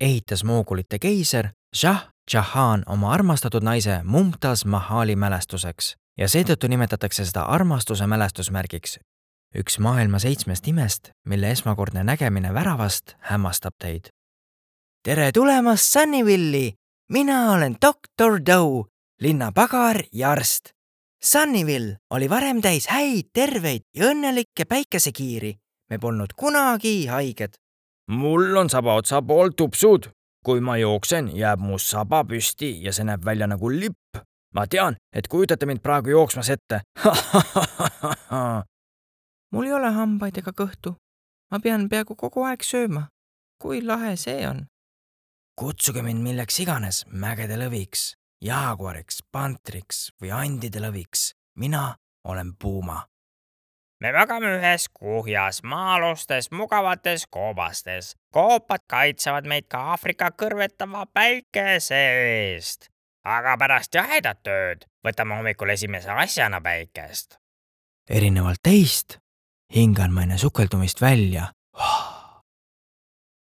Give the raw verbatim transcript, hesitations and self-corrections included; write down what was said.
ehitas moogulite keiser Shah Jahan oma armastatud naise Mumtaz Mahali mälestuseks ja seetõttu nimetatakse seda armastuse mälestusmärgiks. Üks maailma seitsmest imest, mille esmakordne nägemine väravast hämmastab teid. Tere tulemast Sunnyville'i! Mina olen doktor Doe, linnapagar ja arst. Sunnyville oli varem täis häid, terveid ja õnnelikke päikesekiiri. Me polnud kunagi haiged. Mul on saba otsa pool tupsud. Kui ma jooksen, jääb mu saba püsti ja see näeb välja nagu lipp. Ma tean, et kujutate mind praegu jooksmas ette. Mul ei ole hambaid ega kõhtu. Ma pean peaaegu kogu aeg sööma. Kui lahe see on? Kutsuge mind milleks iganes, mägede lõviks, jaaguariks, pantriks või andide lõviks. Mina olen Puuma. Me magame ühes kuhjas, maalustes, mugavates koobastes. Koopad kaitsevad meid ka Aafrika kõrvetava päikese eest. Aga pärast jahedat tööd võtame hommikul esimese asjana päikest. Erinevalt teist hingan ma enne sukeldumist välja